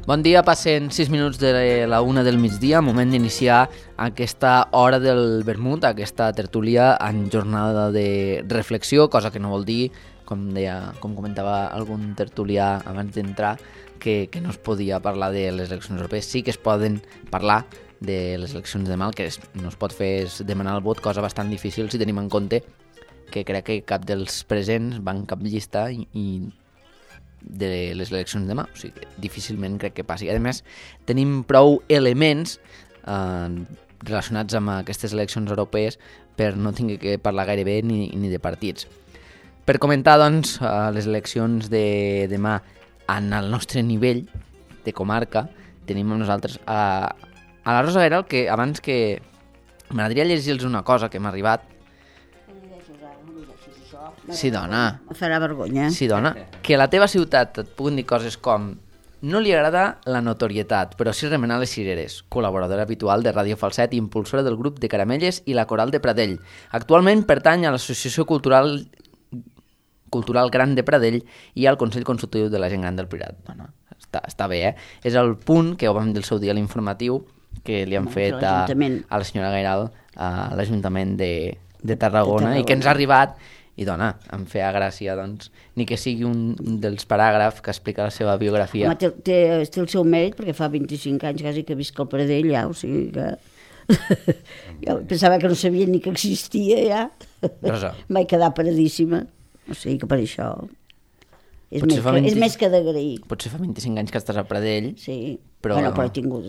Bon dia, passen 6 minuts de la 1 del migdia, moment d'iniciar aquesta hora del vermut, aquesta tertúlia en jornada de reflexió, cosa que no vol dir, com comentava algun tertulià abans d'entrar, que no es podia parlar de les eleccions europees. Sí que es poden parlar de les eleccions de demà, el que no es pot fer és demanar el vot, cosa bastant difícil si tenim en compte que crec que cap dels presents va en cap llista i de les eleccions de demà, o sigui, difícilment crec que passi. A més, tenim prou elements relacionats amb aquestes eleccions europees per no tenir que parlar gairebé ni de partits. Per comentar, doncs, les eleccions de demà en el nostre nivell de comarca, tenim amb nosaltres a la Rosa Guerral, que abans que... M'agradaria llegir-los una cosa que m'ha arribat. Sí, dona. Em farà vergonya. Sí, dona. Que a la teva ciutat et puguin dir coses com: no li agrada la notorietat, però sí remenar les cireres. Col·laboradora habitual de Ràdio Falset i impulsora del grup de Caramelles i la Coral de Pradell. Actualment pertany a l'Associació Cultural Gran de Pradell i al Consell Consultiu de la Gent Gran del Priorat. Bueno, està bé, eh? És el punt que ho vam dir el seu dia a l'informatiu que li han fet a la senyora Gairal a l'Ajuntament de Tarragona i que ens ha arribat. I dona, em feia gràcia, doncs, ni que sigui un dels paràgrafs que explica la seva biografia. Home, té el seu mèrit, perquè fa 25 anys quasi que visc al Pradell, ja, o sigui que... Jo pensava que no sabia ni que existia, ja. Rosa. Vaig quedar paradíssima, o sigui que per això... És més que d'agrair. Potser fa 25 anys que estàs a Pradell, sí. Però... Bueno, però he tingut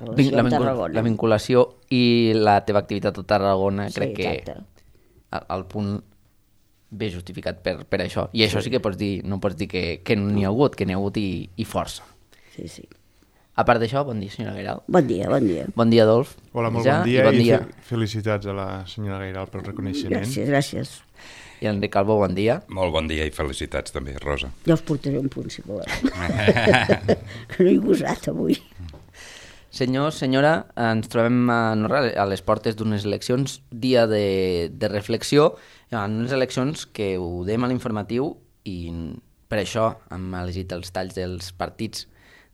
relació amb Tarragona. La vinculació i la teva activitat a Tarragona, sí, crec que al punt... bé justificat per això. I això sí que pots dir, no pots dir que n'hi ha hagut, que n'hi ha hagut i força. Sí, sí. A part d'això, bon dia, senyora Gairal. Bon dia, bon dia. Bon dia, Adolf. Hola, molt bon dia, felicitats a la senyora Gairal pel reconeixement. Gràcies, gràcies. I Enric Calvo, bon dia. Molt bon dia i felicitats també, Rosa. Ja us portaré un punt, si voleu. Que no he gosat avui. Senyor, senyora, ens trobem a les portes d'unes eleccions, dia de reflexió, en unes eleccions que ho dèiem a l'informatiu i per això hem elegit els talls dels partits,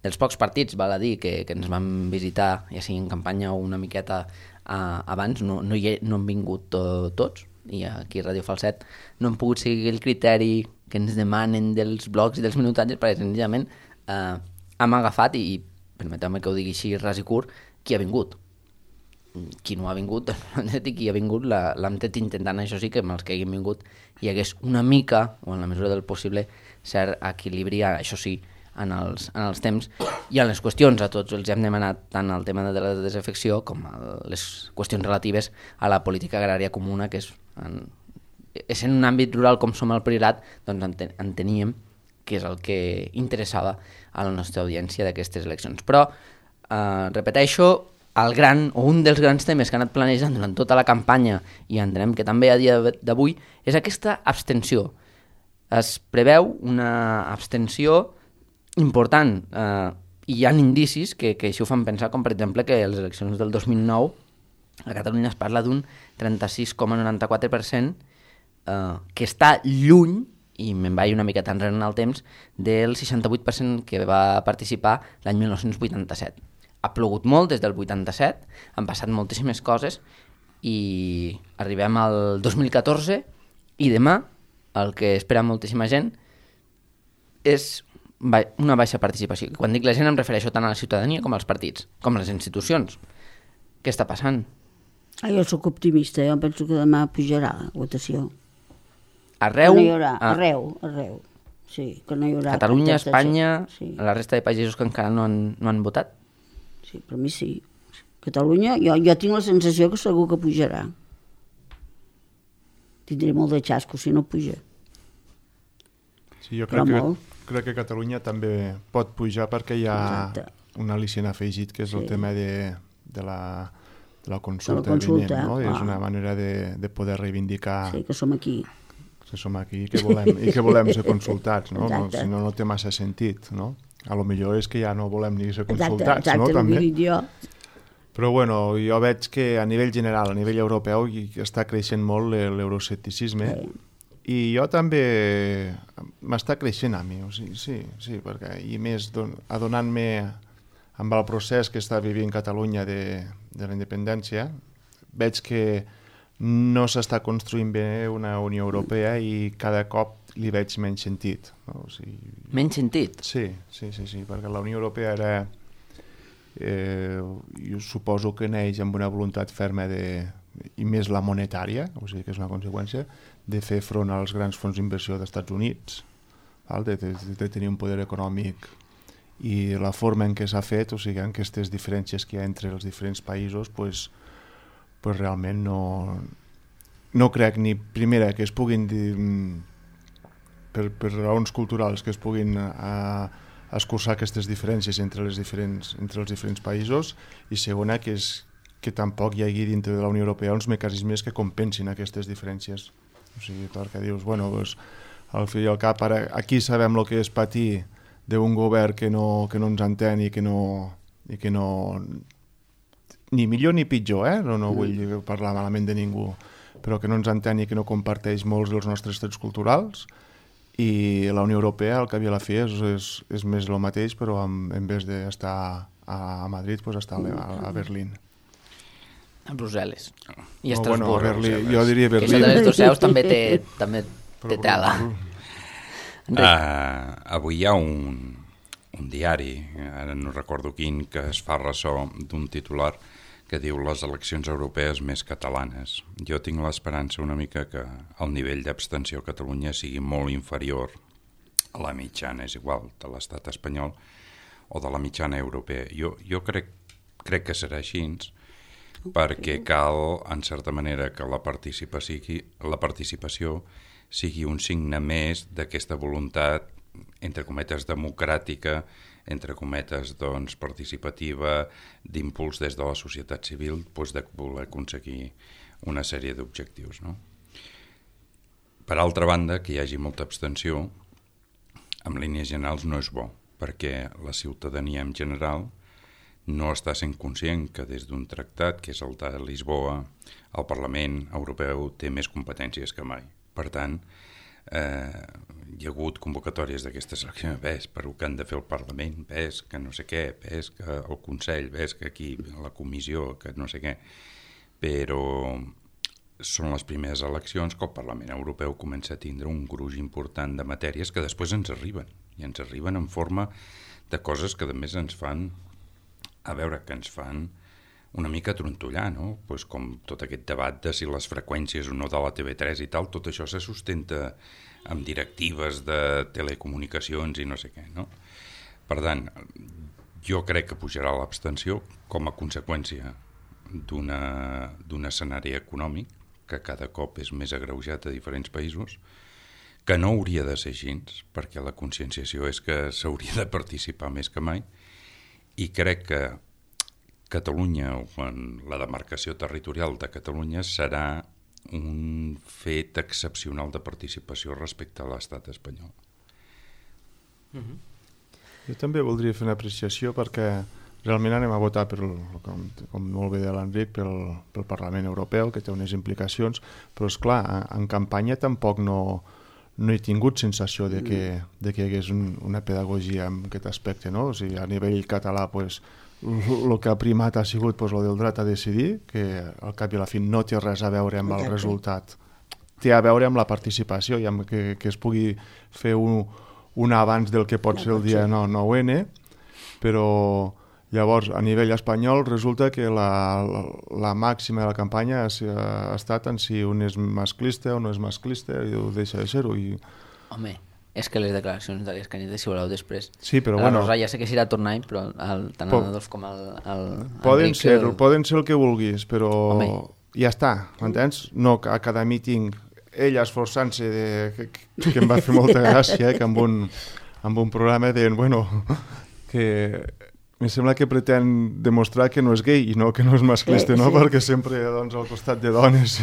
dels pocs partits, val a dir, que ens van visitar, ja sigui en campanya o una miqueta abans, no han vingut tots, i aquí a Ràdio Falset no hem pogut seguir el criteri que ens demanen dels blocs i dels minutatges, perquè senzillament hem agafat, i permeteu-me que ho digui així ras i curt, qui ha vingut. Qui no ha vingut, qui ha vingut l'hem estat intentant, això sí, que amb els que hagin vingut hi hagués una mica, o en la mesura del possible, cert equilibri, això sí, en els temps i en les qüestions. A tots els hem demanat tant el tema de la desafecció com les qüestions relatives a la política agrària comuna, que és en un àmbit rural com som el Priorat, doncs enteníem que és el que interessava a la nostra audiència d'aquestes eleccions. Però, repeteixo, un dels grans temes que han anat planejant durant tota la campanya, i entenem que també a dia d'avui, és aquesta abstenció. Es preveu una abstenció important, i hi ha indicis que així ho fan pensar, com per exemple que a les eleccions del 2009 a Catalunya es parla d'un 36,94%, que està lluny, i me'n vaig una miqueta enrere en el temps, del 68% que va participar l'any 1987. Ha plogut molt des del 87, han passat moltíssimes coses i arribem al 2014 i demà el que espera moltíssima gent és una baixa participació. Quan dic la gent em refereixo tant a la ciutadania com als partits, com a les institucions. Què està passant? Jo sóc optimista, jo penso que demà pujarà la votació. Arreu? Que no hi haurà, arreu. Sí, que no hi haurà. Catalunya, Espanya, sí. La resta de països que encara no han votat? Sí, per mi sí. Catalunya, jo tinc la sensació que segur que pujarà. Tindré molt de xasco si no puja. Sí, jo crec que Catalunya també pot pujar perquè hi ha un al·licient afegit, que és el tema de la consulta vinent, no? És una manera de poder reivindicar... Sí, que som aquí. Que som aquí i que volem ser consultats, no? Si no, no té massa sentit, no? A lo millor és que ja no volem ni ser consultats, no? També. Però bueno, jo veig que a nivell general, a nivell europeu, està creixent molt l'euroscepticisme I jo també m'està creixent a mi, o sigui, sí, perquè i més adonant-me amb el procés que està vivint Catalunya de la independència, veig que no s'està construint bé una Unió Europea i cada cop li veig menys sentit. No? O sigui, menys sentit? Sí, perquè la Unió Europea era, jo suposo que neix amb una voluntat ferma i més la monetària, o sigui que és una conseqüència, de fer front als grans fons d'inversió dels Estats Units, de tenir un poder econòmic, i la forma en què s'ha fet, o sigui, en aquestes diferències que hi ha entre els diferents països, pues realment no crec ni, primera, que es puguin per raons culturals que es puguin escurçar aquestes diferències entre els diferents països, i segona, que tampoc hi hagi dintre de la Unió Europea uns mecanismes que compensin aquestes diferències. O sigui, perquè dius, bueno, pues, al fi i al cap, ara, aquí sabem el que és patir d'un govern que no ens entén i que no ni millor ni pitjor, no vull parlar malament de ningú, però que no ens entén i que no comparteix molts dels nostres trets culturals, i la Unió Europea, al cap i a la fi, és més el mateix, però en vez d'estar a Madrid, pues està a Berlín. A Brussel·les i a Estrasburg. Jo diria Berlín. Que això de les dos seus també té tela. Avui hi ha un diari, ara no recordo quin, que es fa ressò d'un titular que diu les eleccions europees més catalanes. Jo tinc l'esperança una mica que el nivell d'abstenció a Catalunya sigui molt inferior a la mitjana, és igual, de l'estat espanyol o de la mitjana europea. Jo crec que serà així, perquè cal, en certa manera, que la participació sigui un signe més d'aquesta voluntat, entre cometes, democràtica, entre cometes, doncs, participativa, d'impuls des de la societat civil, doncs, de voler aconseguir una sèrie d'objectius, no? Per altra banda, que hi hagi molta abstenció, en línies generals no és bo, perquè la ciutadania en general no està sent conscient que des d'un tractat, que és el de Lisboa, el Parlament Europeu té més competències que mai. Per tant, hi ha hagut convocatòries d'aquestes eleccions, ves per el que han de fer el Parlament, ves que no sé què, ves que el Consell, ves que aquí la Comissió, que no sé què, però són les primeres eleccions que el Parlament Europeu comença a tindre un gruix important de matèries que després ens arriben, i ens arriben en forma de coses que a més ens fan una mica trontollar, no? Pues com tot aquest debat de si les freqüències o no de la TV3 i tal, tot això se sustenta amb directives de telecomunicacions i no sé què, no? Per tant, jo crec que pujarà l'abstenció com a conseqüència d'un escenari econòmic que cada cop és més agreujat a diferents països, que no hauria de ser així, perquè la conscienciació és que s'hauria de participar més que mai, i crec que Catalunya, o la demarcació territorial de Catalunya, serà un fet excepcional de participació respecte a l'estat espanyol. Jo també voldria fer una apreciació perquè realment anem a votar, com molt bé de l'Enric, pel Parlament Europeu, que té unes implicacions, però és clar, en campanya tampoc no he tingut sensació de que hi hagués una pedagogia en aquest aspecte, no? O sigui, a nivell català, pues, el que ha primat ha sigut pues, el del dret a decidir, que al cap i a la fi no té res a veure amb el resultat, té a veure amb la participació i amb que es pugui fer un abans del que pot ser el dia 9-N, però llavors a nivell espanyol resulta que la màxima de la campanya ha estat en si un és masclista o no és masclista i ho deixa de ser-ho. Home, és que les declaracions d'Àlex Cañete, si voleu després, sí, però la Rosa ja sé que s'irà tornant, però tant el Adolf com el poden ser el que vulguis, però ja està, m'entens? No a cada míting ell esforçant-se que em va fer molta gràcia, que amb un programa deien, bueno, que em sembla que pretén demostrar que no és gay i no que no és masclista, no? Perquè sempre doncs, al costat de dones.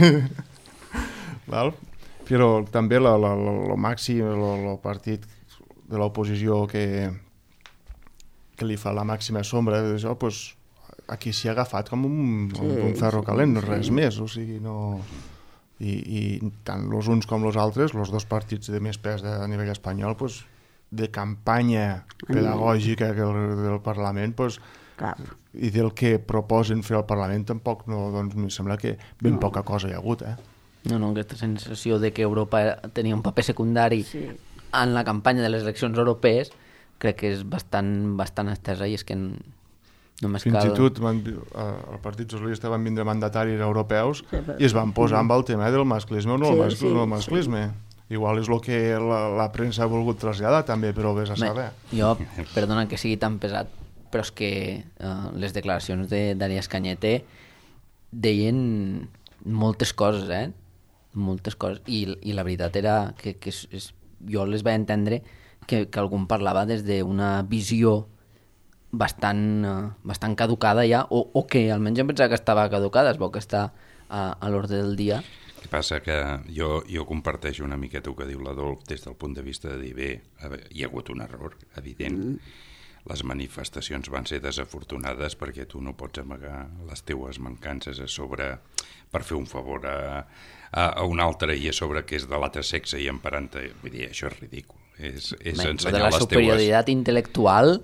Val? Però també el màxim, el partit de l'oposició que li fa la màxima sombra d'això, doncs aquí s'hi ha agafat com un ferro calent, res més, o sigui, no... I tant els uns com els altres, els dos partits de més pes a nivell espanyol, pues, de campanya pedagògica del Parlament, pues, i del que proposen fer al Parlament tampoc no, doncs em sembla que ben poca cosa hi ha hagut, No, aquesta sensació de que Europa tenia un paper secundari en la campanya de les eleccions europees crec que és bastant estesa i és que només fins i tot el Partit Socialista van vindre mandataris europeus i es van posar amb el tema del masclisme o no el masclisme. Igual és el que la premsa ha volgut traslladar també, però vés a saber. Jo, perdona que sigui tan pesat, però és que les declaracions d'Arias Cañete deien moltes coses, moltes coses, i la veritat era que jo les vaig entendre que algú parlava des d'una visió bastant caducada ja, o que almenys em pensava que estava caducada, es veu que està a l'ordre del dia. El que passa que jo comparteixo una miqueta el que diu l'Adolf des del punt de vista de dir, bé, hi ha hagut un error, evident. Les manifestacions van ser desafortunades perquè tu no pots amagar les teues mancances a sobre per fer un favor a un altre i a sobre que és de l'altre sexe i emparant-te. Vull dir, això és ridícul. És ensenyar la les superioritat intel·lectual,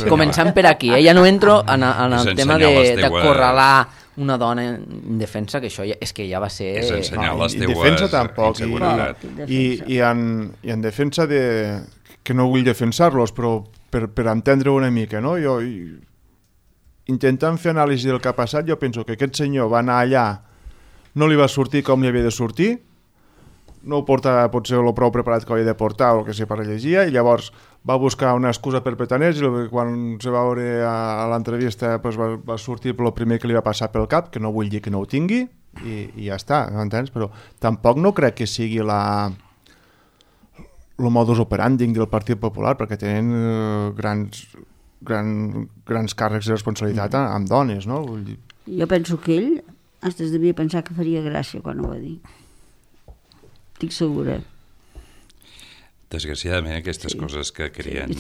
començant per aquí, ja no entro en el tema d'acorralar una dona en defensa, que això és que ja va ser... És ensenyar les teues defensa tampoc, i en defensa de... que no vull defensar-los, però per entendre una mica, no? Jo, intentant fer anàlisi del que ha passat, jo penso que aquest senyor va anar allà, no li va sortir com li havia de sortir, no ho portava potser el prou preparat que havia de portar o el que sé per llegia, i llavors va buscar una excusa per petaners i quan se va veure a l'entrevista pues va sortir el primer que li va passar pel cap, que no vull dir que no ho tingui, i ja està, m'entens? Però tampoc no crec que sigui el modus operandi del Partit Popular, perquè tenen grans càrrecs de responsabilitat amb dones, no? Vull dir... Jo penso que ell es devia pensar que faria gràcia quan ho va dir. Estic segura. Desgraciadament aquestes coses que creen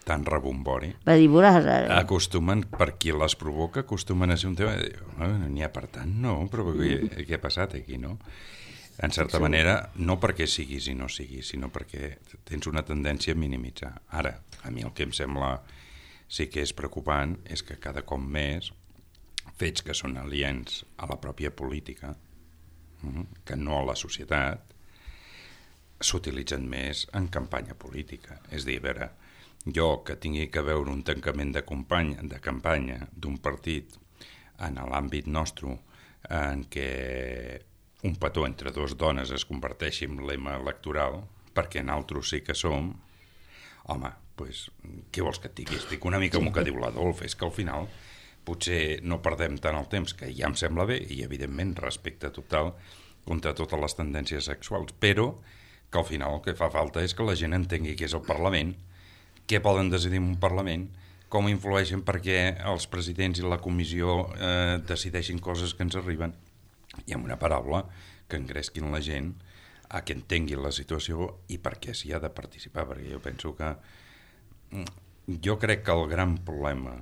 tan rebombori va dir, veuràs ara. Acostumen, per qui les provoca, acostumen a ser un tema de dir, n'hi ha per tant, no, però què ha passat aquí, no? En certa manera, no perquè siguis i no siguis, sinó perquè tens una tendència a minimitzar. Ara, a mi el que em sembla sí que és preocupant és que cada cop més fets que són aliens a la pròpia política, que no a la societat, s'utilitzen més en campanya política. És a dir, a veure, jo que tingui que veure un tancament de campanya d'un partit en l'àmbit nostre en què un petó entre dues dones es converteixi en lema electoral, perquè nosaltres sí que som, home, doncs, què vols que et digui? Estic una mica amb el que diu l'Adolf, és que al final potser no perdem tant el temps, que ja em sembla bé, i evidentment respecte total contra totes les tendències sexuals, però que al final el que fa falta és que la gent entengui què és el Parlament, què poden decidir en un Parlament, com influeixen perquè els presidents i la comissió decideixin coses que ens arriben, i amb una paraula que engresquin la gent a que entenguin la situació i per què s'hi ha de participar, perquè jo penso que jo crec que el gran problema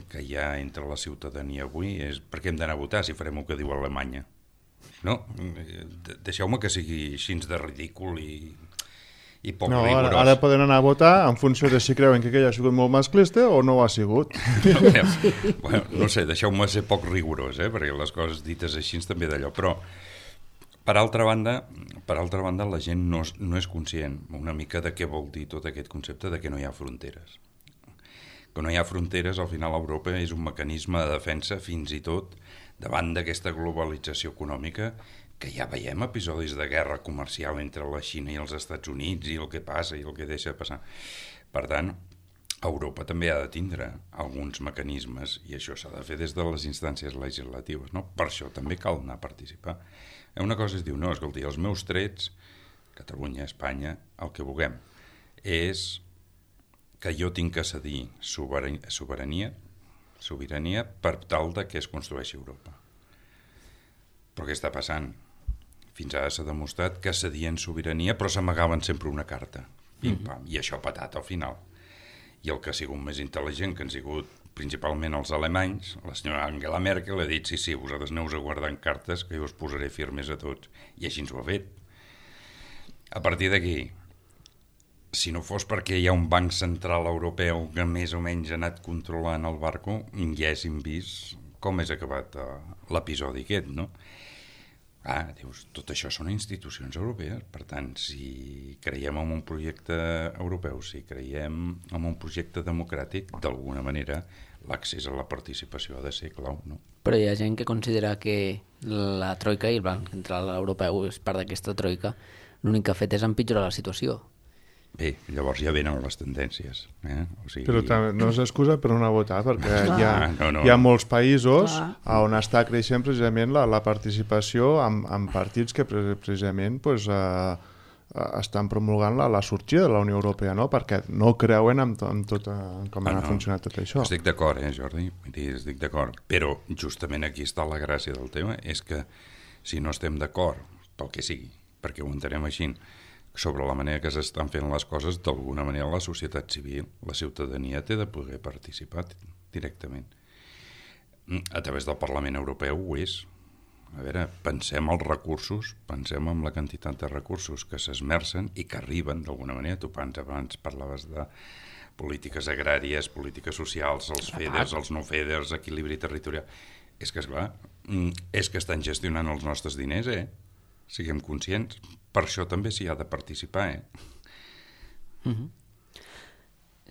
que hi ha entre la ciutadania avui és per què hem d'anar a votar si farem el que diu Alemanya. No, deixeu-me que sigui així de ridícul i poc rigorós. Ara poden anar a votar en funció de si creuen que aquell ha sigut molt masclista o no ho ha sigut. No sé, deixeu-me ser poc rigorós, perquè les coses dites així també d'allò, però per altra banda la gent no és conscient una mica de què vol dir tot aquest concepte de que no hi ha fronteres. Que no hi ha fronteres, al final Europa és un mecanisme de defensa fins i tot davant d'aquesta globalització econòmica que ja veiem episodis de guerra comercial entre la Xina i els Estats Units i el que passa i el que deixa de passar. Per tant, Europa també ha de tindre alguns mecanismes i això s'ha de fer des de les instàncies legislatives, no? Per això també cal anar a participar. Una cosa es diu, no, escolti, els meus trets, Catalunya, Espanya, el que vulguem, és que jo tinc que cedir sobirania per tal de que es construeixi Europa. Però què està passant? Fins ara s'ha demostrat que cedien sobirania però s'amagaven sempre una carta. Pim, pam, i això ha patat al final. i el que ha sigut més intel·ligent, que han sigut principalment els alemanys, la senyora Angela Merkel ha dit sí, vosaltres aneu-vos a guardar cartes que jo us posaré firmes a tots, i així ens ho ha fet. A partir d'aquí, si no fos perquè hi ha un banc central europeu que més o menys ha anat controlant el barco, ja haguéssim vist com és acabat l'episodi aquest, no? Dius, tot això són institucions europees, per tant, si creiem en un projecte europeu, si creiem en un projecte democràtic, d'alguna manera l'accés a la participació ha de ser clau, no? Però hi ha gent que considera que la troika i el Banc Central Europeu és part d'aquesta troika, l'únic que ha fet és empitjorar la situació. Bé, llavors ja venen les tendències. O sigui... Però també no és excusa per no votar, perquè hi ha molts països on està creixent precisament la participació en partits que precisament estan promulgant la sortida de la Unió Europea, no? Perquè no creuen en com ha funcionat tot això. Estic d'acord, Jordi, estic d'acord. Però justament aquí està la gràcia del tema, és que si no estem d'acord, pel que sigui, perquè ho entenem així, sobre la manera que s'estan fent les coses, d'alguna manera la societat civil, la ciutadania té de poder participar directament. A través del Parlament Europeu ho és. A veure, pensem els recursos, pensem en la quantitat de recursos que s'esmercen i que arriben d'alguna manera. Tu abans parlaves de polítiques agràries, polítiques socials, els FEDERs, els no FEDERs, equilibri territorial. És que, esclar, és que estan gestionant els nostres diners, Siguem conscients. Per això també s'hi ha de participar,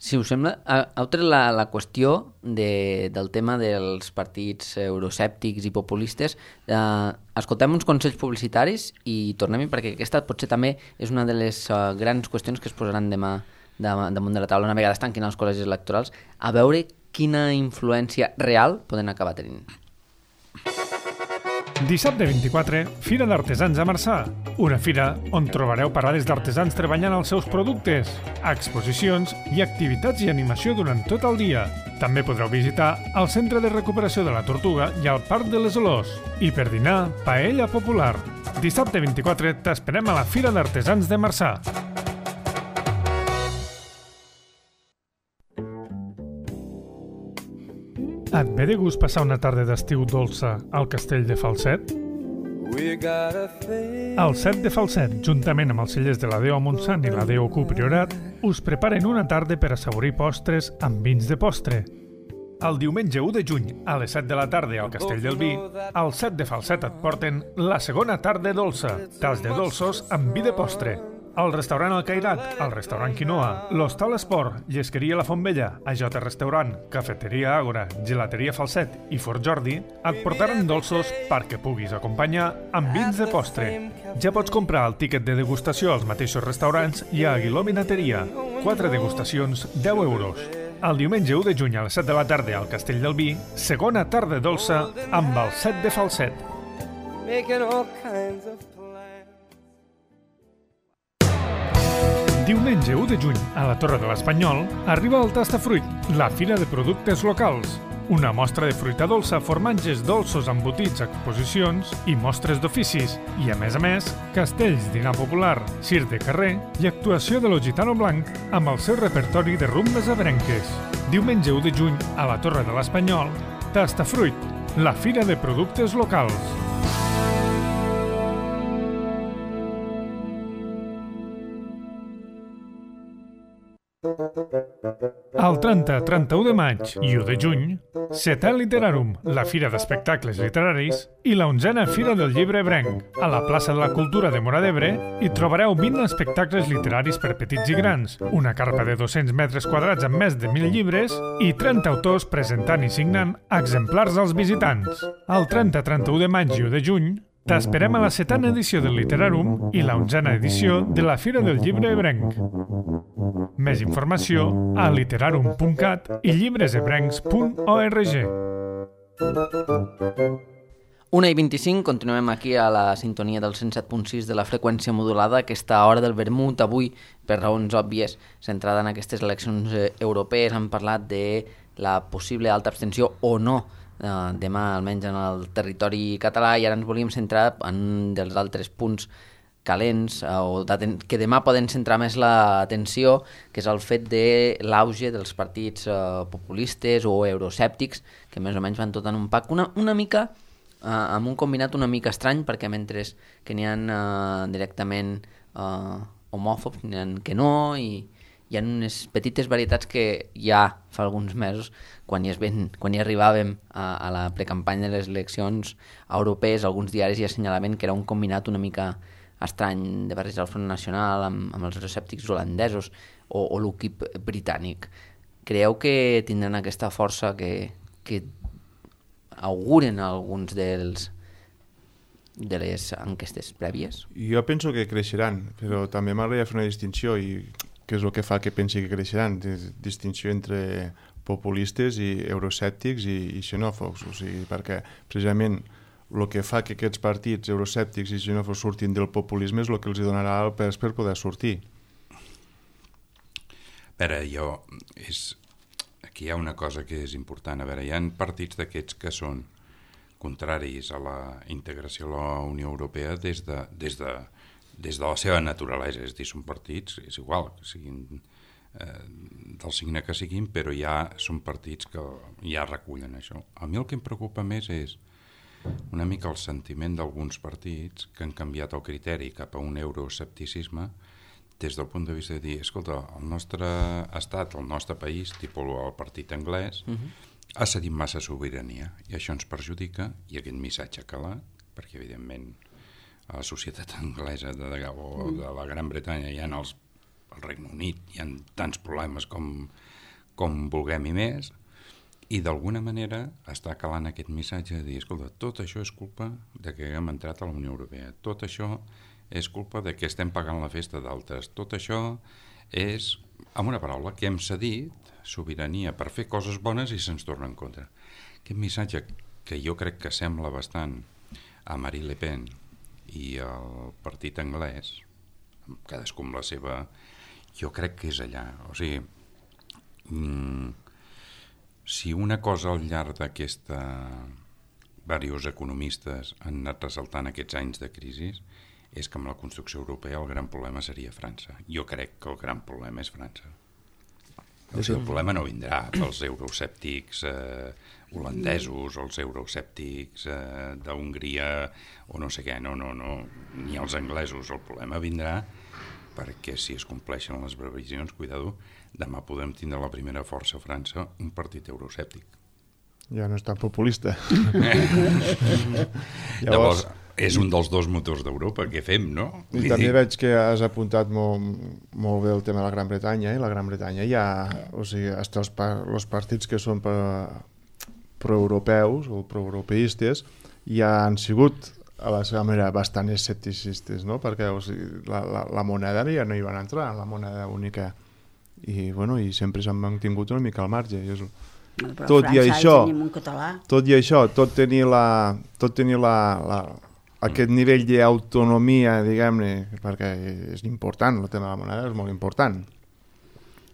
Si us sembla, heu tret la qüestió del tema dels partits euroscèptics i populistes. Escoltem uns consells publicitaris i tornem-hi, perquè aquesta potser també és una de les grans qüestions que es posaran demà damunt de la taula, una vegada es tanquin els col·legis electorals, a veure quina influència real poden acabar tenint. Dissabte 24, Fira d'Artesans a Marçà. Una fira on trobareu parades d'artesans treballant els seus productes, exposicions i activitats i animació durant tot el dia. També podreu visitar el Centre de Recuperació de la Tortuga i el Parc de les Olors. I per dinar, paella popular. Dissabte 24 t'esperem a la Fira d'Artesans de Marçà. Et ve de gust passar una tarda d'estiu dolça al Castell de Falset? El Set de Falset, juntament amb els cellers de la Déu a Montsant i la Déu Q Priorat, us preparen una tarda per assaborir postres amb vins de postre. El diumenge 1 de juny, a les 7 de la tarda al Castell del Vi, al Set de Falset et porten la segona tarda dolça, tas de dolços amb vi de postre. Al restaurant El Cairat, al restaurant Quinoa, l'Hostal Esport, Llesqueria La Fontbella, AJ Restaurant, Cafeteria Àgora, Gelateria Falset i Fort Jordi et portaran dolços perquè puguis acompanyar amb vins de postre. Ja pots comprar el tíquet de degustació als mateixos restaurants i a Aguiló Vinateria. 4 degustacions, 10 euros. El diumenge 1 de juny a les 7 de la tarda al Castell del Vi, segona tarda dolça amb el Set de Falset. Diumenge 1 de juny, a la Torre de l'Espanyol, arriba el Tastafruit, la fira de productes locals. Una mostra de fruita dolça, formatges dolços embotits, exposicions i mostres d'oficis. I, a més, castells, dinar popular, circ de carrer i actuació de lo Gitano Blanc amb el seu repertori de rumbes abrenques. Diumenge 1 de juny, a la Torre de l'Espanyol, Tastafruit, la fira de productes locals. El 30, 31 de maig i 1 de juny, Setè Literarum, la fira d'espectacles literaris, i la 11a Fira del Llibre Ebrenc. A la plaça de la Cultura de Móra d'Ebre hi trobareu 20 espectacles literaris per petits i grans, una carpa de 200 metres quadrats amb més de 1.000 llibres i 30 autors presentant i signant exemplars als visitants. El 30, 31 de maig i 1 de juny, t'esperem a la 7a edició del Literarum i la 11a edició de la Fira del Llibre Ebrenc. Més informació a literarum.cat i llibresebrencs.org. 1:25, continuem aquí a la sintonia del 107.6 de la freqüència modulada, aquesta hora del vermut, avui, per raons òbvies, centrada en aquestes eleccions europees. Hem parlat de la possible alta abstenció o no demà, almenys en el territori català, i ara ens volíem centrar en un dels altres punts calents que demà poden centrar més l'atenció, que és el fet de l'auge dels partits populistes o euroscèptics, que més o menys van tot en un pack, una mica amb un combinat una mica estrany, perquè mentre que n'hi ha directament homòfobs, n'hi ha que no, i hi ha unes petites varietats que ja fa alguns mesos, quan hi arribàvem a la precampanya de les eleccions europees, alguns diaris ja assenyalaven que era un combinat una mica estrany de barrejar el Front Nacional amb els euroscèptics holandesos o l'UKIP britànic. Creieu que tindran aquesta força que auguren alguns de les enquestes prèvies? Jo penso que creixeran, però també m'agradaria fer una distinció, i què és el que fa que pensi que creixeran? Distinció entre populistes i euroscèptics i xenòfobs, o sigui, perquè precisament el que fa que aquests partits euroscèptics i xenòfobs surtin del populisme és el que els donarà el pes per poder sortir. Aquí hi ha una cosa que és important. A veure, hi ha partits d'aquests que són contraris a la integració a la Unió Europea des de la seva naturalesa. És a dir, són partits, és igual, que siguin del signe que siguin, però ja són partits que ja recullen això. A mi el que em preocupa més és una mica el sentiment d'alguns partits que han canviat el criteri cap a un euroescepticisme des del punt de vista de dir, escolta, el nostre estat, el nostre país, tipus el partit anglès, ha cedit massa sobirania i això ens perjudica, i aquest missatge ha calat, perquè evidentment a la societat anglesa o de la Gran Bretanya al Regne Unit hi ha tants problemes com vulguem i més, i d'alguna manera està calant aquest missatge de dir, escolta, tot això és culpa de que haguem entrat a la Unió Europea, tot això és culpa de que estem pagant la festa d'altres, tot això és, amb una paraula, que hem cedit sobirania per fer coses bones i se'ns torna en contra. Aquest missatge que jo crec que sembla bastant a Marine Le Pen i al partit anglès, cadascú amb la seva, jo crec que és allà. O sigui, si una cosa al llarg d'aquesta diversos economistes han anat ressaltant aquests anys de crisi és que amb la construcció europea el gran problema seria França. Jo crec que el gran problema és França. O sigui, el problema no vindrà pels euroscèptics holandesos o els euroscèptics d'Hongria o no sé què, no, ni els anglesos. El problema vindrà perquè si es compleixen les previsions, cuidado, demà podem tindre la primera força a França, un partit euroscèptic. Ja no és tan populista. Llavors, és un dels dos motors d'Europa, què fem, no? I també veig que has apuntat molt bé el tema de la Gran Bretanya, i la Gran Bretanya hi ha, o sigui, hasta els partits que són proeuropeus o proeuropeistes ja han sigut a la seva manera bastant escepticistes, no? Perquè o sigui, la moneda ja no hi van entrar, la moneda única, i sempre s'han mantingut una mica al marge. Tot i això, tot tenir aquest nivell d'autonomia, diguem-ne, perquè és important, el tema de la moneda és molt important,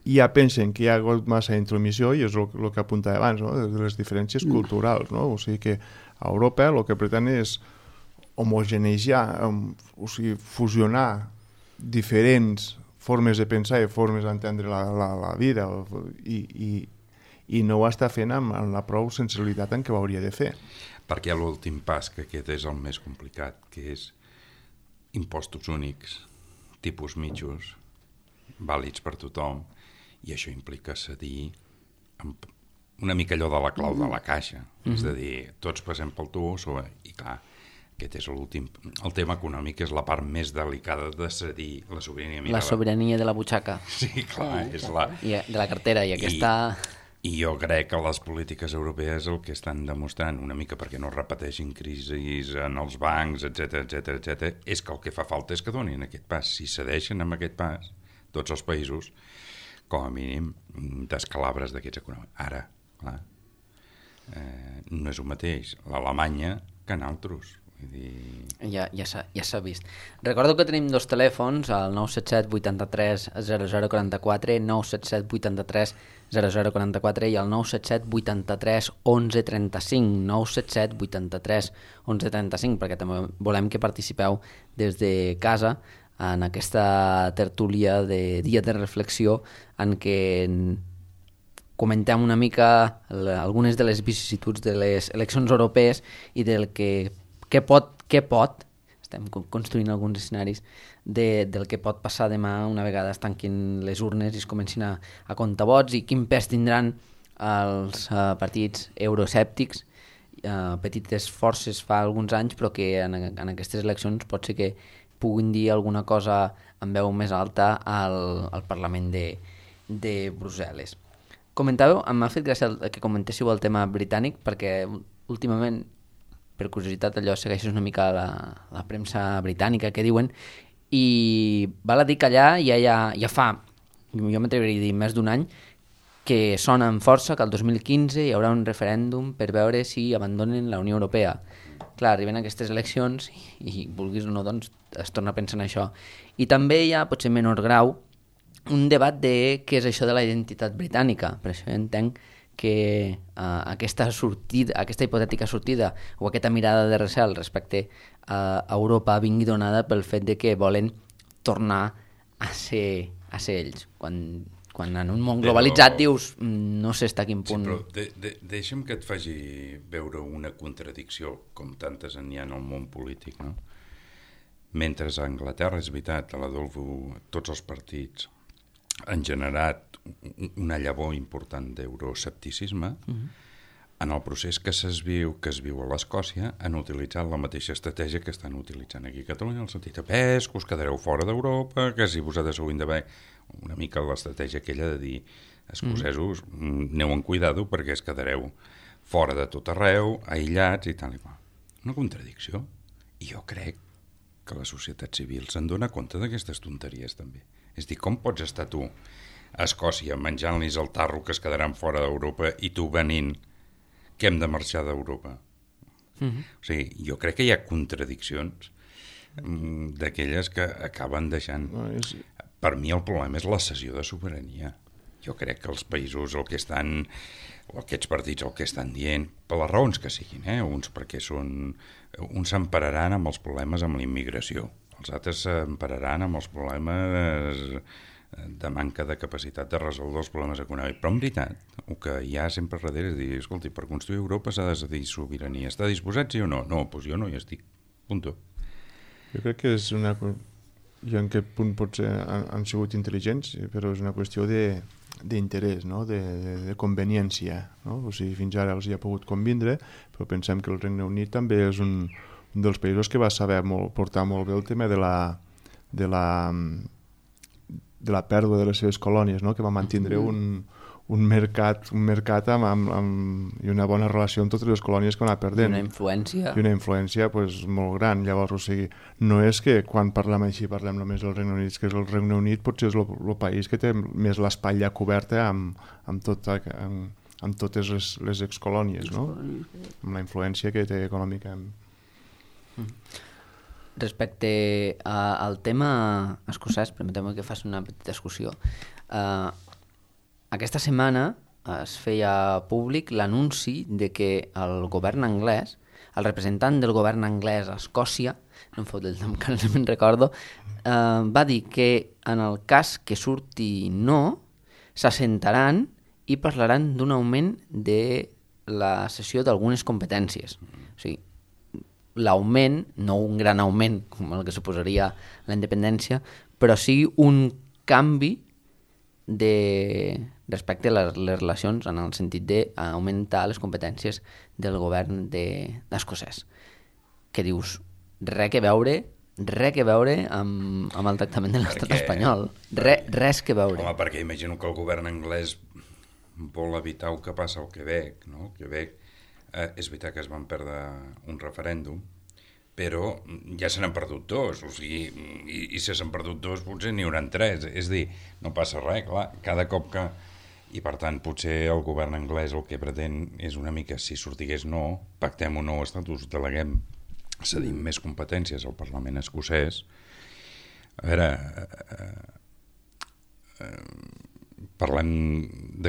i ja pensen que hi ha hagut massa intromissió, i és el que apuntava abans, no? De les diferències culturals, no? O sigui que a Europa el que pretén és homogeneitzar, o sigui, fusionar diferents formes de pensar i formes d'entendre la vida, i no ho està fent amb la prou sensibilitat en què ho hauria de fer. Perquè l'últim pas, que aquest és el més complicat, que és impostos únics, tipus mitjos, vàlids per tothom, i això implica cedir una mica allò de la clau de la caixa, és a dir, tots passem pel tub, i clar, aquest és l'últim. El tema econòmic és la part més delicada de cedir la sobirania. La sobirania de la butxaca. Sí, clar, és de la cartera, i aquesta... I jo crec que les polítiques europees el que estan demostrant, una mica perquè no repeteixin crisis en els bancs, etc, és que el que fa falta és que donin aquest pas. Si cedeixen amb aquest pas, tots els països, com a mínim, descalabres d'aquests econòmics. Ara, clar, no és el mateix l'Alemanya que en altres. Ja s'ha vist. Recordo que tenim dos telèfons, el 977 83 0044, 977 83 0044 i el 977 83 11 35, 977 83 11 35, perquè també volem que participeu des de casa en aquesta tertúlia de dia de reflexió en què comentem una mica algunes de les vicissituds de les eleccions europees i del què pot, estem construint alguns escenaris del que pot passar demà una vegada es tanquin les urnes i es comencin a comptar vots i quin pes tindran els partits euroescèptics, petites forces fa alguns anys, però que en aquestes eleccions pot ser que puguin dir alguna cosa amb veu més alta al Parlament de Brussel·les. Comentàveu, m'ha fet gràcia que comentéssiu el tema britànic, perquè últimament, per curiositat, allò segueixes una mica la premsa britànica que diuen, i val a dir que allà ja fa, jo m'atreviria a dir més d'un any, que sona amb força que el 2015 hi haurà un referèndum per veure si abandonen la Unió Europea. Clar, arriben aquestes eleccions i vulguis o no, doncs es torna a pensar en això. I també hi ha, potser en menor grau, un debat de què és això de la identitat britànica. Per això entenc que aquesta hipotètica sortida o aquesta mirada de recel respecte a Europa vingui donada pel fet de que volen tornar a ser ells. Quan en un món globalitzat dius no sé fins a quin punt... Sí, però deixa'm que et faci veure una contradicció, com tantes n'hi ha en el món polític, no? Mentre a Anglaterra, és veritat, a l'Adolfo, tots els partits han generat una llavor important d'euroescepticisme, en el procés que es viu a l'Escòcia han utilitzat la mateixa estratègia que estan utilitzant aquí a Catalunya, en el sentit de pes, que us quedareu fora d'Europa, que si vosaltres heu d'haver una mica l'estratègia aquella de dir escocesos, aneu en cuidado perquè es quedareu fora de tot arreu, aïllats i tal i qual. Una contradicció. I jo crec que la societat civil se'n dona compte d'aquestes tonteries també. És dir, com pots estar tu a Escòcia menjant-los el tarro que es quedaran fora d'Europa i tu venint que hem de marxar d'Europa? O sigui, jo crec que hi ha contradiccions d'aquelles que acaben deixant... Per mi el problema és la cessió de sobirania. Jo crec que els països el que estan, o aquests partits el que estan dient, per les raons que siguin, uns perquè uns s'empararan amb els problemes amb la immigració, els altres s'empararan amb els problemes de manca de capacitat de resoldre els problemes econòmics. Però en veritat, el que hi ha sempre darrere és dir, escolti, per construir Europa s'ha de decidir sobirania. Està disposat, sí o no? No, doncs jo no hi estic. Punto. Jo crec que és una... I en aquest punt potser han sigut intel·ligents, però és una qüestió d'interès, no? de conveniència. No? O sigui, fins ara els hi ha pogut convindre, però pensem que el Regne Unit també és un dels països que va saber portar molt bé el tema de la pèrdua de les seves colònies, no? Que va mantindre un mercat i una bona relació amb totes les colònies que va anar perdent. I una influència pues, molt gran. Llavors, o sigui, no és que quan parlem així parlem només del Regne Unit, que és el Regne Unit potser és el país que té més l'espatlla coberta amb totes les excolònies, no? Amb la influència que té econòmica. Respecte al tema escocès, permeteu-me que faci una petita discussió. Aquesta setmana es feia públic l'anunci de que el govern anglès, el representant del govern anglès a Escòcia, no em fot el nom que no me'n recordo, va dir que en el cas que surti no, s'assentaran i parlaran d'un augment de la cessió d'algunes competències. O sigui, l'augment, no un gran augment com el que suposaria la independència, però sí un canvi respecte a les relacions en el sentit d'augmentar les competències del govern d'escocès. Que dius, res que veure amb el tractament de l'estat espanyol. Res que veure. Home, perquè imagino que el govern anglès vol evitar el que passa al Quebec, no? Quebec, és veritat que es van perdre un referèndum, però ja se n'han perdut dos, o sigui, i si s'han perdut dos potser n'hi hauran tres, és a dir, no passa res, clar, cada cop que... I per tant, potser el govern anglès el que pretén és una mica, si sortigués no, pactem un nou estatus, deleguem, cedim més competències al Parlament escocès. A veure, parlem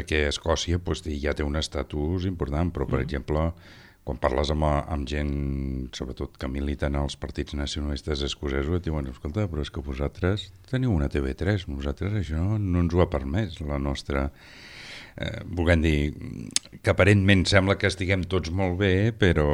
que Escòcia ja té un estatus important, però, per exemple, quan parles amb gent, sobretot que militen als partits nacionalistes escocesos, et diuen, escolta, però és que vosaltres teniu una TV3, nosaltres això no ens ho ha permès, la nostra... Volguem dir que aparentment sembla que estiguem tots molt bé, però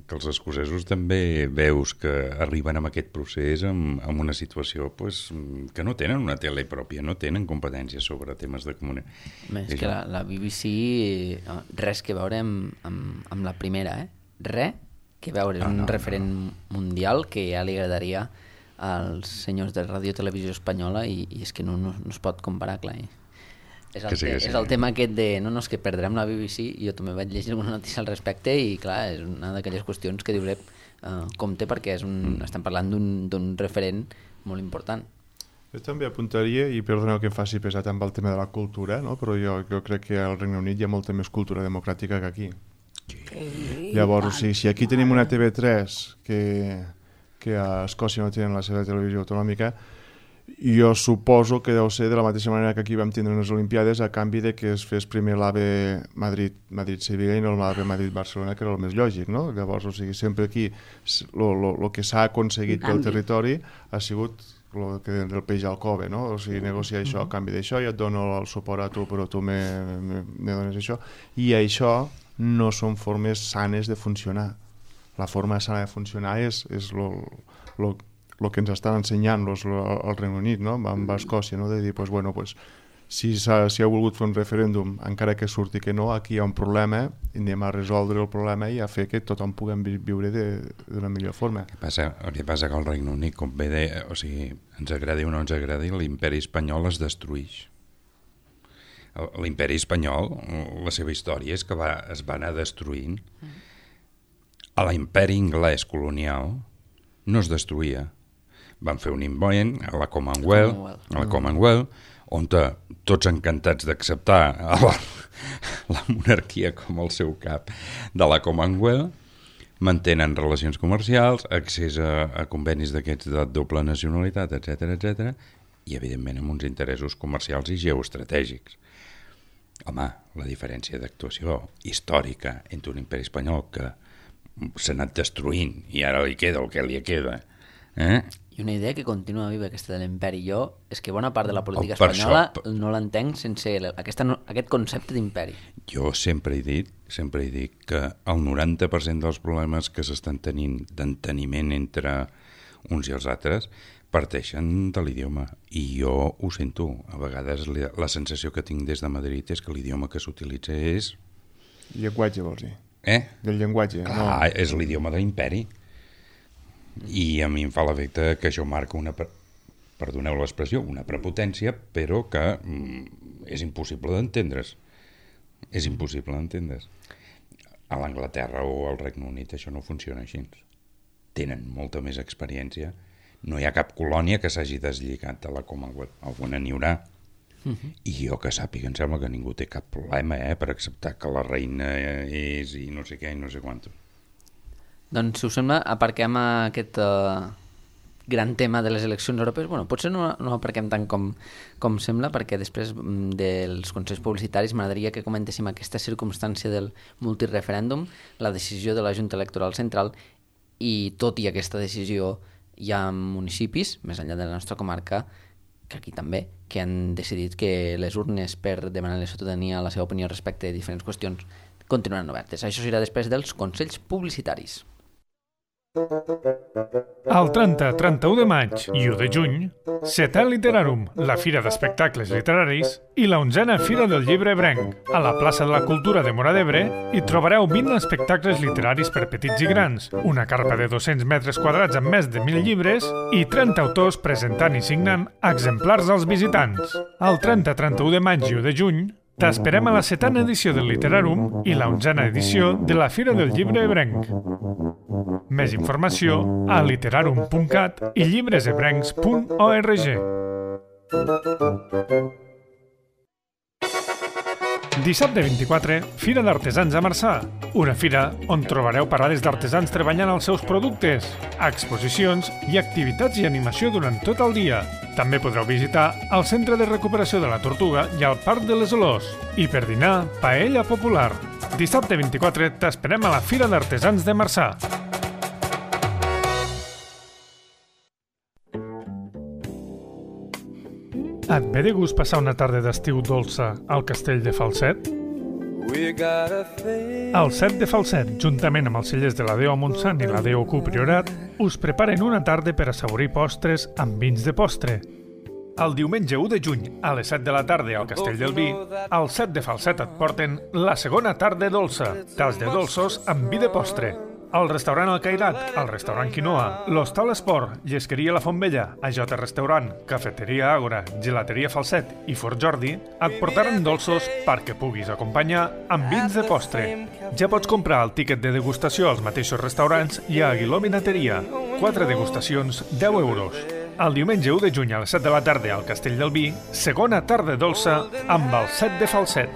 que els escocesos també veus que arriben amb aquest procés amb una situació que no tenen una tele pròpia, no tenen competències sobre temes de comunicació. És que la BBC res que veure amb la primera, res que veure, és un referent mundial que ja li agradaria als senyors de Ràdio Televisió Espanyola i és que no es pot comparar, clar. És el tema aquest de no, és que perdrem la BBC, jo també vaig llegir alguna notícia al respecte i clar, és una d'aquelles qüestions que dius compte perquè estem parlant d'un referent molt important. Jo també apuntaria, i perdoneu que em faci pesat amb el tema de la cultura, no? Però jo crec que al Regne Unit hi ha molta més cultura democràtica que aquí. Llavors, si aquí tenim una TV3 que a Escòcia no tenen la seva televisió autonòmica, jo suposo que deu ser de la mateixa manera que aquí vam tindre unes Olimpiades a canvi de que es fes primer l'AVE Madrid-Sevilla i no l'AVE Madrid-Barcelona, que era el més lògic, no? Llavors, sempre aquí el que s'ha aconseguit pel territori ha sigut el que del peix al cove, no? O sigui, negociar això a canvi d'això, i et dono el suport a tu, però tu me dones això. I això no són formes sanes de funcionar. La forma sana de funcionar és el que ens estan ensenyant al Regne Unit, no? Amb Escòcia, no? De dir, si ha volgut fer un referèndum, encara que surti que no, aquí hi ha un problema, anem a resoldre el problema i a fer que tothom puguem viure d'una millor forma. El que passa que el Regne Unit, com bé deia, o sigui, ens agradi o no ens agradi, l'imperi espanyol es destruïx. L'imperi espanyol, la seva història és que es va anar destruint. A l'imperi anglès colonial no es destruïa. Van fer un invent a la Commonwealth, on tots encantats d'acceptar la monarquia com el seu cap de la Commonwealth, mantenen relacions comercials, accés a convenis d'aquests de doble nacionalitat, etc, i evidentment amb uns interessos comercials i geoestratègics. Home, la diferència d'actuació històrica entre un imperi espanyol que s'ha anat destruint i ara li queda el que li queda, I una idea que continua viva, aquesta de l'imperi. Jo, és que bona part de la política espanyola no l'entenc sense aquest concepte d'imperi. Jo sempre he dit que el 90% dels problemes que s'estan tenint d'enteniment entre uns i els altres parteixen de l'idioma. I jo ho sento. A vegades la sensació que tinc des de Madrid és que l'idioma que s'utilitza és... Llenguatge, vols dir? Del llenguatge. Clar, és l'idioma de l'imperi. I a mi em fa l'efecte que això marca perdoneu l'expressió, una prepotència, però que és impossible d'entendre's. És impossible d'entendre's. A l'Anglaterra o al Regne Unit això no funciona així. Tenen molta més experiència. No hi ha cap colònia que s'hagi deslligat de la Commonwealth. Alguna n'hi haurà. I jo que sàpiga, em sembla que ningú té cap problema per acceptar que la reina és i no sé què i no sé quant. Doncs, si us sembla, aparquem aquest gran tema de les eleccions europees. Bueno, potser no aparquem tant com sembla, perquè després dels consells publicitaris m'agradaria que comentéssim aquesta circumstància del multireferèndum, la decisió de la Junta Electoral Central, i tot i aquesta decisió hi ha municipis, més enllà de la nostra comarca, que aquí també, que han decidit que les urnes per demanar a la ciutadania la seva opinió respecte a diferents qüestions continuaran obertes. Això serà després dels consells publicitaris. El 30, 31 de maig i 1 de juny, Setè Literarum, la fira d'espectacles literaris, i la 11a Fira del Llibre Ebrenc. A la plaça de la Cultura de Móra d'Ebre hi trobareu 20 espectacles literaris per petits i grans, una carpa de 200 metres quadrats amb més de 1.000 llibres i 30 autors presentant i signant exemplars als visitants. El 30, 31 de maig i 1 de juny t'esperem a la 7a edició del Literarum i la 11a edició de la Fira del Llibre Ebrenc. Més informació a literarum.cat i llibresebrencs.org. Dissabte 24, Fira d'Artesans a Marçà. Una fira on trobareu parades d'artesans treballant els seus productes, exposicions i activitats i animació durant tot el dia. També podreu visitar el Centre de Recuperació de la Tortuga i el Parc de les Olors. I per dinar, paella popular. Dissabte 24 t'esperem a la Fira d'Artesans de Marçà. Et ve de gust passar una tarda d'estiu dolça al Castell de Falset? El Set de Falset, juntament amb els cellers de la Déu a Montsant i la Déu Q Priorat, us preparen una tarda per assaborir postres amb vins de postre. El diumenge 1 de juny, a les 7 de la tarda al Castell del Vi, al Set de Falset et porten la segona tarda dolça, tas de dolços amb vi de postre. Al restaurant El Cairat, al restaurant Quinoa, l'Hostal Esport, Llesqueria La Fontvella, AJ Restaurant, Cafeteria Àgora, Gelateria Falset i Fort Jordi et portaran dolços perquè puguis acompanyar amb vins de postre. Ja pots comprar el tíquet de degustació als mateixos restaurants i a Aguiló Vinateria. 4 degustacions, 10 euros. El diumenge 1 de juny a les 7 de la tarda al Castell del Vi, segona tarda dolça amb el Set de Falset.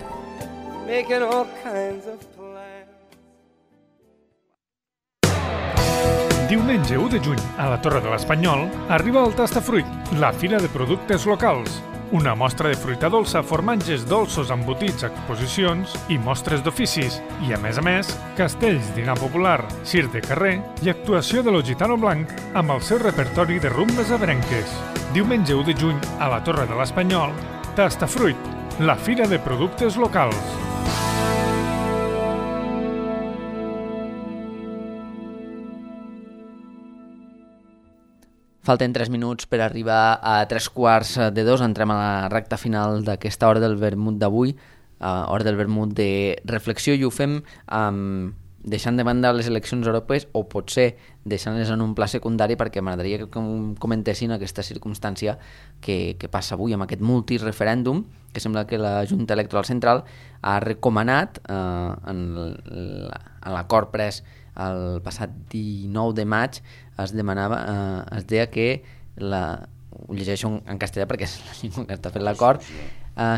Diumenge 1 de juny, a la Torre de l'Espanyol, arriba el Tastafruit, la fira de productes locals. Una mostra de fruita dolça, formatges dolços, embotits, exposicions i mostres d'oficis. I, a més, castells, dinar popular, circ de carrer i actuació de lo Gitano Blanc amb el seu repertori de rumbes abrenques. Diumenge 1 de juny, a la Torre de l'Espanyol, Tastafruit, la fira de productes locals. Falten 3 minuts per arribar a 3:15. Entrem a la recta final d'aquesta hora del vermut d'avui, hora del vermut de reflexió, i ho fem deixant de banda les eleccions europees, o potser deixant-les en un pla secundari, perquè m'agradaria que comentessin aquesta circumstància que passa avui amb aquest multireferèndum, que sembla que la Junta Electoral Central ha recomanat en l'acord pres el passat 19 de maig. Es deia que, ho llegeixo en castellà perquè és la llengua que està fent l'acord,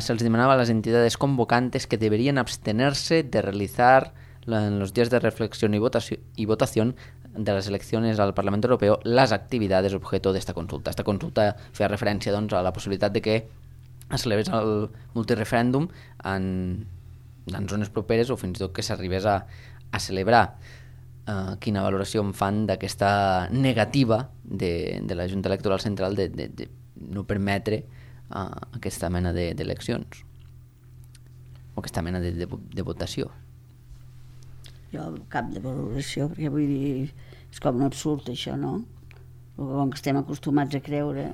se'ls demanava a las entidades convocantes que deberían abstenerse de realizar en los días de reflexión y votación de las elecciones al Parlamento Europeo las actividades objeto de esta consulta. Esta consulta feia referència, doncs, a la possibilitat de que es celebrés el multireferèndum en zones properes o fins i tot que s'arribés a celebrar. Quina valoració em fan d'aquesta negativa de la Junta Electoral Central de no permetre aquesta mena d'eleccions o aquesta mena de votació? Jo cap de valoració, perquè vull dir, és com un absurd això, no? Com que estem acostumats a creure,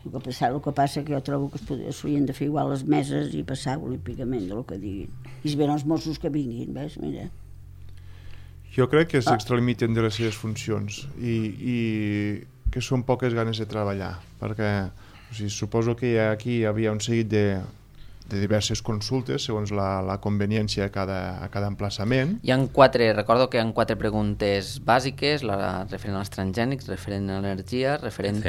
el que passa que jo trobo que s'haurien de fer igual les meses i passar olímpicament del que diguin. I si venen els Mossos que vinguin, ves, mira. Jo crec que s'extralimiten de les seves funcions i que són poques ganes de treballar, perquè suposo que aquí hi havia un seguit de diverses consultes segons la conveniència a cada emplaçament. Recordo que hi ha 4 preguntes bàsiques, la referent als transgènics, referent a l'energia, referent...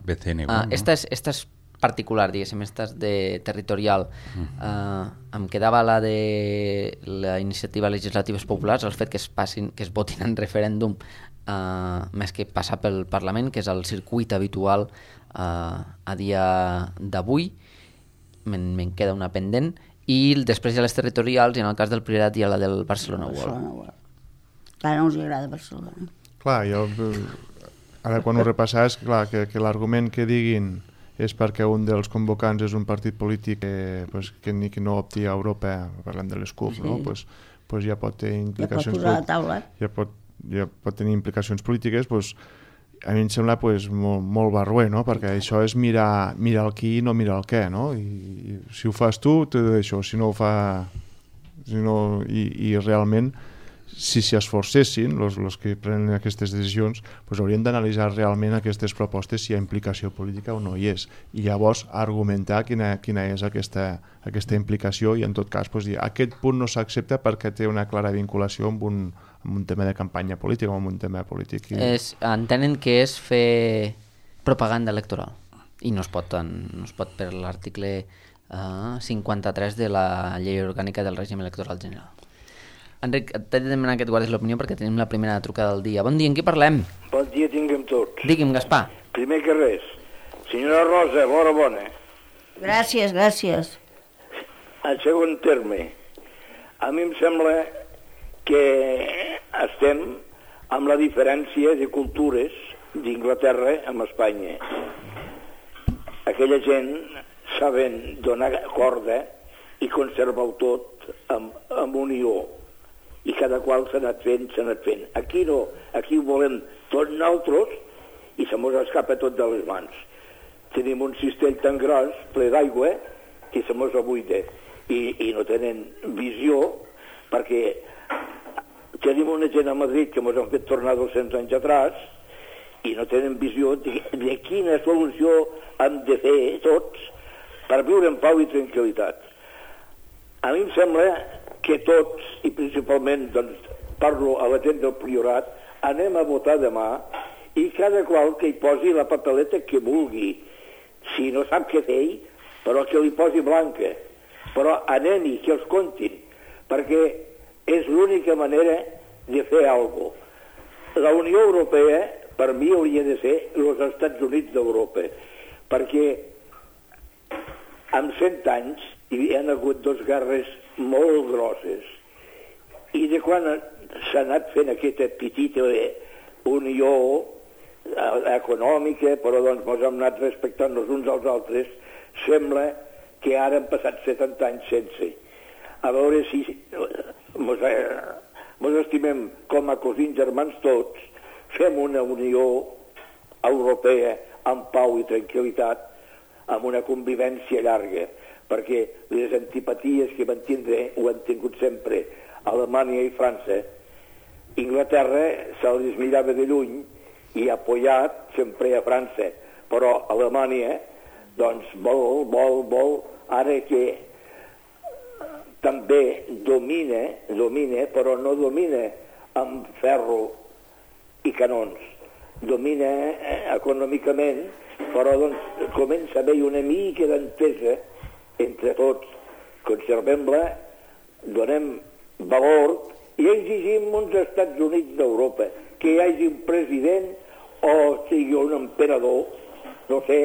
BCN. Esta és particular, diguéssim, esta és de territorial. Em quedava la de la iniciativa legislatives populars, el fet que es votin en referèndum més que passar pel Parlament, que és el circuit habitual a dia d'avui. Me'n queda una pendent. I després hi ha les territorials, i en el cas del Priorat hi ha la del Barcelona World. Clar, no us agrada Barcelona. Clar, ara quan ho repasses, clar, que l'argument que diguin és perquè un dels convocants és un partit polític que no opti a Europa, parlem de les CUP, no? Pues ja pot tenir implicacions, ja pot tenir implicacions polítiques. A mi em sembla molt barroer, no? Perquè això és mirar el qui i no mirar el què, no? I si ho fas tu, te deixo. Si no ho fa... I realment, si s'hi esforcessin, els que prenen aquestes decisions, haurien d'analitzar realment aquestes propostes si hi ha implicació política o no hi és. I llavors argumentar quina és aquesta implicació, i en tot cas dir aquest punt no s'accepta perquè té una clara vinculació amb un tema de campanya política o amb un tema polític. Entenen que és fer propaganda electoral i no es pot per l'article 53 de la Llei Orgànica del Règim Electoral General. Enric, t'he de demanar que et guardis l'opinió perquè tenim la primera trucada del dia. Bon dia, en qui parlem? Bon dia tinguem tots. Digui'm, Gaspar. Primer que res, Senyora Rosa, bona. Gràcies, gràcies. En segon terme, a mi em sembla que estem amb la diferència de cultures d'Inglaterra amb Espanya. Aquella gent saben donar corda i conservar-ho tot amb unió, i cada qual s'ha anat fent. Aquí no, aquí ho volem tots nosaltres i se mos escapa tot de les mans. Tenim un cistell tan gros, ple d'aigua, que se mos abuida i no tenen visió, perquè tenim una gent a Madrid que ens han fet tornar 200 anys atrás i no tenen visió de quina solució hem de fer tots per viure en pau i tranquil·litat. A mi em sembla que tots, i principalment doncs, parlo a la gent del Priorat, anem a votar demà i cada qual que hi posi la papeleta que vulgui. Si no sap què fer, però que li posi blanca. Però anem-hi, que els comptin, perquè és l'única manera de fer alguna cosa. La Unió Europea, per mi, hauria de ser els Estats Units d'Europa, perquè en 100 anys hi han hagut 2 guerres molt grosses, i de quan s'ha anat fent aquesta petita unió econòmica, però doncs ens hem anat respectant els uns als altres, sembla que ara han passat 70 anys sense. A veure si ens estimem com a cosins germans tots, fem una unió europea amb pau i tranquil·litat, amb una convivència llarga, perquè les antipaties que van tindre ho han tingut sempre Alemanya i França. Inglaterra se les mirava de lluny i ha apoyat sempre a França, però Alemanya doncs vol, ara que també domina, però no domina amb ferro i canons, domina econòmicament, però doncs comença a haver una mica d'entesa entre tots, conservem-la, donem valor i exigim uns Estats Units d'Europa, que hi hagi un president o sigui un emperador, no sé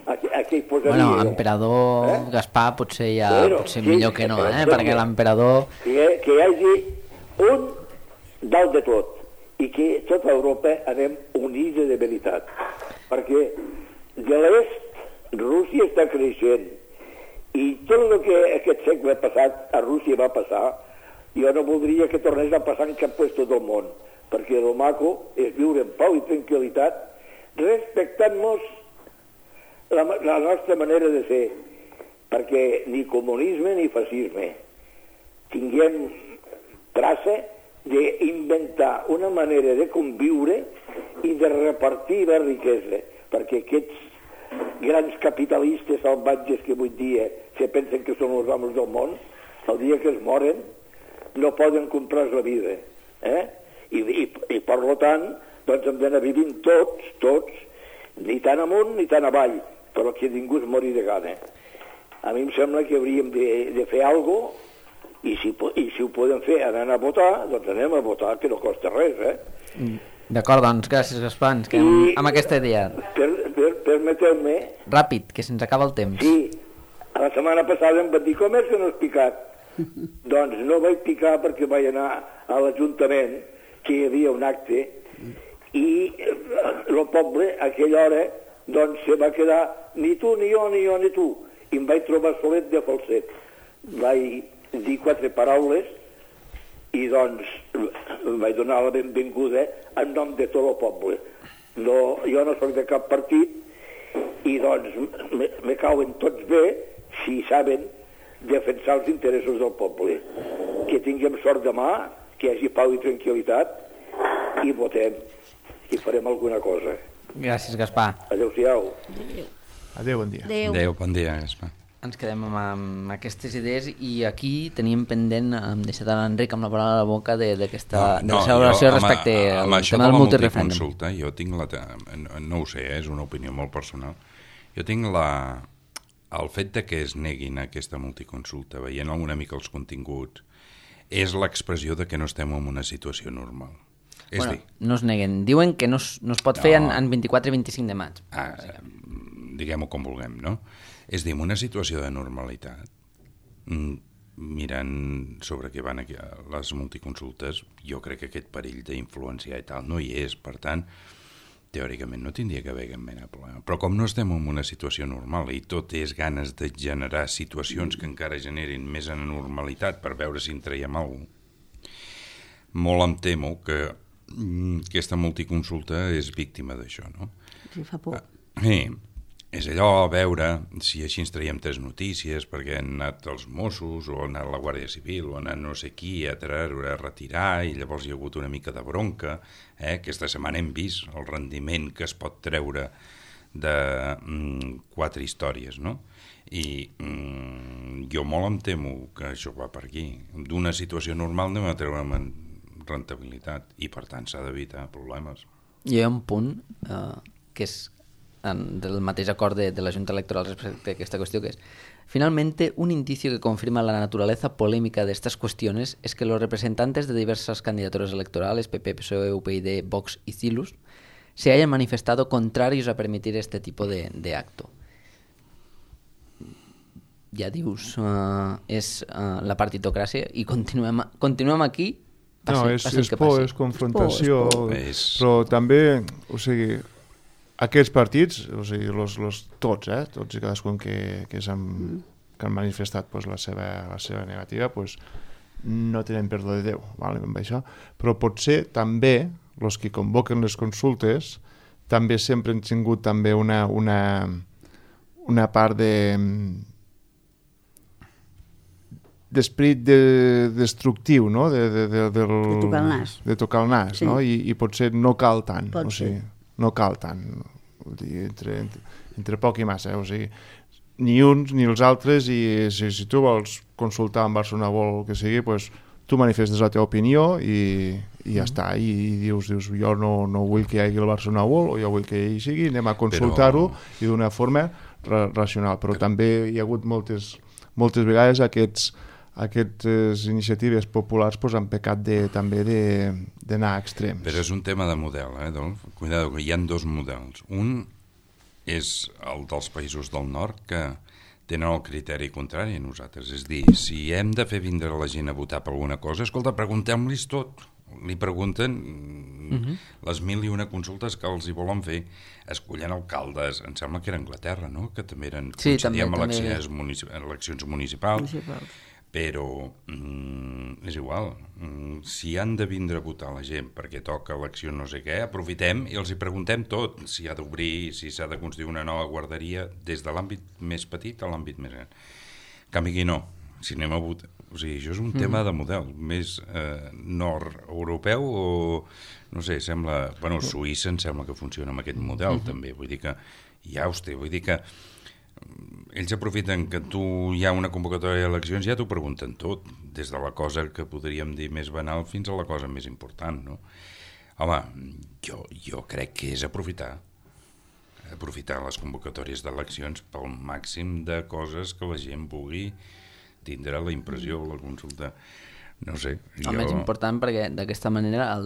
a què hi posaria. Bueno, emperador Gaspar potser potser millor que no, perquè l'emperador... Que hi hagi un dalt de tot i que tota Europa anem unida de veritat, perquè de l'est Rússia està creixent i tot el que aquest segle passat a Rússia va passar, jo no voldria que tornés a passar en cap lloc del món, perquè el maco és viure en pau i tranquil·litat respectant-nos la nostra manera de ser, perquè ni comunisme ni fascisme tinguem traça d'inventar una manera de conviure i de repartir la riquesa, perquè aquests grans capitalistes salvatges que avui dia se pensen que són els amos del món, el dia que es moren no poden comprar la vida, i per tant doncs hem d'anar vivint tots, ni tan amunt ni tan avall, però que ningú es mori de gana. A mi em sembla que hauríem de fer alguna cosa, i si ho podem fer anant a votar, doncs anem a votar, que no costa res, D'acord, doncs gràcies, Gaspar, ens quedem amb aquesta idea. Permeteu-me... Ràpid, que se'ns acaba el temps. Sí, la setmana passada em van dir, com és que no has picat? Doncs no vaig picar perquè vaig anar a l'Ajuntament, que hi havia un acte, i el poble, a aquella hora, doncs se va quedar ni tu, ni jo, ni tu. I em vaig trobar solet de falset. Vaig dir 4 paraules i doncs vaig donar la benvinguda en nom de tot el poble. No, jo no soc de cap partit i doncs me cauen tots bé si saben defensar els interessos del poble. Que tinguem sort demà, que hi hagi pau i tranquil·litat i votem i farem alguna cosa. Gràcies, Gaspar. Adéu-siau. Adéu, bon dia. Adéu, bon dia, Gaspar. Ens quedem amb aquestes idees i aquí teníem pendent, hem deixat a l'Enric amb la paraula a la boca d'aquesta celebració respecte al tema del multireferèndum. Multiconsulta, jo tinc no ho sé, és una opinió molt personal, jo tinc el fet de que es neguin aquesta multiconsulta, veient una mica els continguts, és l'expressió de que no estem en una situació normal. Bueno, no es neguen, diuen que no es pot fer en 24 i 25 de maig. diguem-ho com vulguem, no? És a dir, en una situació de normalitat, mirant sobre què van aquí les multiconsultes, jo crec que aquest perill d'influenciar i tal no hi és, per tant, teòricament no tindria que haver cap mena de problema. Però com no estem en una situació normal i tot és ganes de generar situacions que encara generin més anormalitat per veure si en traiem alguna cosa, molt em temo que aquesta multiconsulta és víctima d'això, no? Sí, fa por. És allò, a veure si així ens traiem 3 notícies perquè han anat els Mossos o ha anat la Guàrdia Civil o ha anat no sé qui a retirar i llavors hi ha hagut una mica de bronca. Aquesta setmana hem vist el rendiment que es pot treure de 4 històries, no? I jo molt em temo que això va per aquí. D'una situació normal anem a treure rendibilitat i per tant s'ha d'evitar problemes. Hi ha un punt que és del mateix acord de la Junta Electoral respecte a aquesta qüestió, que es: finalmente, un indicio que confirma la naturaleza polémica de estas cuestiones es que los representantes de diversas candidaturas electorales, PP, PSOE, UPyD, Vox y Cilus, se hayan manifestado contrarios a permitir este tipo de acto. Ja dius, és la partitocràcia i continuem aquí. És por, és confrontació, però també, o sigui, aquests partits, o sigui, tots i cadascun que han manifestat la seva negativa, no tenen perdó de Déu, amb això. Però potser també els que convoquen les consultes també sempre han tingut també una part d'esperit destructiu, no? De tocar el nas. De tocar el nas, sí. No? I potser no cal tant. No cal tant, entre poc i massa, o sigui, ni uns ni els altres, i si tu vols consultar amb Barcelona World o el que sigui, tu manifestes la teva opinió i ja està, i dius jo no vull que hi hagi el Barcelona World o jo vull que hi sigui, anem a consultar-ho i d'una forma racional, però també hi ha hagut moltes vegades aquestes iniciatives populars han pecat també d'anar a extrems. Però és un tema de model, Adolf? Cuidado, que hi ha 2 models. Un és el dels països del nord, que tenen el criteri contrari a nosaltres. És dir, si hem de fer vindre la gent a votar per alguna cosa, escolta, preguntem-los tot. Li pregunten les 1001 consultes que els hi volen fer, escollen alcaldes. Em sembla que era Anglaterra, no? Que també eren, coincidíem eleccions municipals. Però és igual, si han de vindre a votar la gent perquè toca elecció no sé què, aprofitem i els hi preguntem tot, si ha d'obrir, si s'ha de construir una nova guarderia, des de l'àmbit més petit a l'àmbit més gran. En canvi aquí no, si anem a votar, o sigui, això és un tema de model més nord-europeu o, no sé, sembla, Suïssa em sembla que funciona amb aquest model també, vull dir que vull dir que ells aprofiten que hi ha una convocatòria d'eleccions i ja t'ho pregunten tot, des de la cosa que podríem dir més banal fins a la cosa més important, no? Home, jo crec que és aprofitar les convocatòries d'eleccions pel màxim de coses que la gent vulgui tindre la impressió, la consulta, no sé. El més important, perquè d'aquesta manera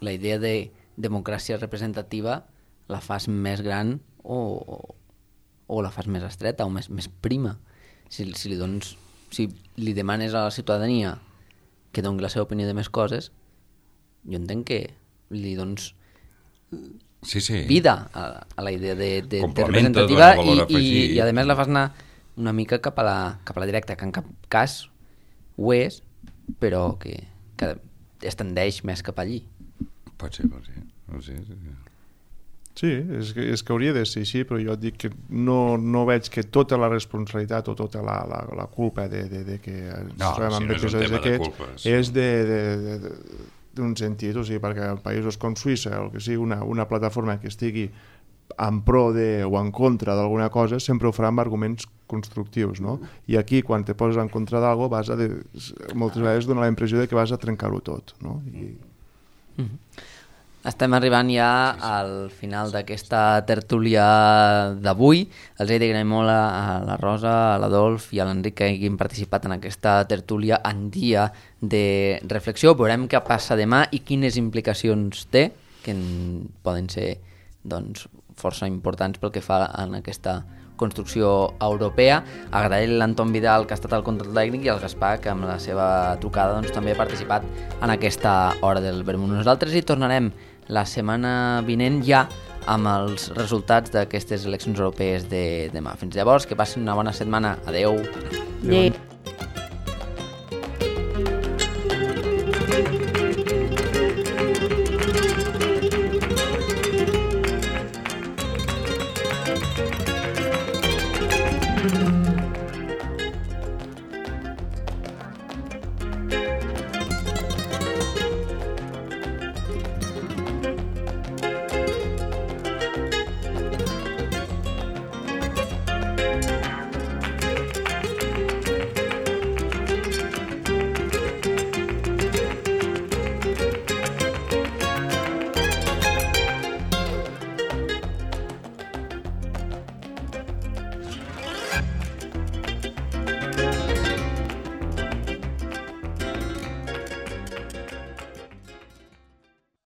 la idea de democràcia representativa la fas més gran o la fas més estreta o més prima. Si li demanes a la ciutadania que doni la seva opinió de més coses, jo entenc que li dones vida a la idea de representativa i a més la fas anar una mica cap a la directa, que en cap cas ho és, però que es tendeix més cap allí. Pot ser. Sí, és que hauria de ser així, però jo et dic que no veig que tota la responsabilitat o tota la culpa de que ens trobem amb episodis d'aquests és d'un sentit, o sigui, perquè en països com Suïssa o que sigui una plataforma que estigui en pro o en contra d'alguna cosa sempre ho farà amb arguments constructius, no? I aquí quan te poses en contra d'algo moltes vegades dona la impressió de que vas a trencar-ho tot, no? Estem arribant ja al final d'aquesta tertúlia d'avui. Els he d'agrair molt a la Rosa, a l'Adolf i a l'Enric que hagin participat en aquesta tertúlia en dia de reflexió. Veurem què passa demà i quines implicacions té, que poden ser força importants pel que fa en aquesta construcció europea. Agrair l'Anton Vidal, que ha estat al control tècnic, i el Gaspar, que amb la seva trucada doncs, també ha participat en aquesta hora del vermut. Nosaltres hi tornarem la setmana vinent ja amb els resultats d'aquestes eleccions europees de demà. Fins llavors, que passin una bona setmana. Adeu. Adeu. Adeu.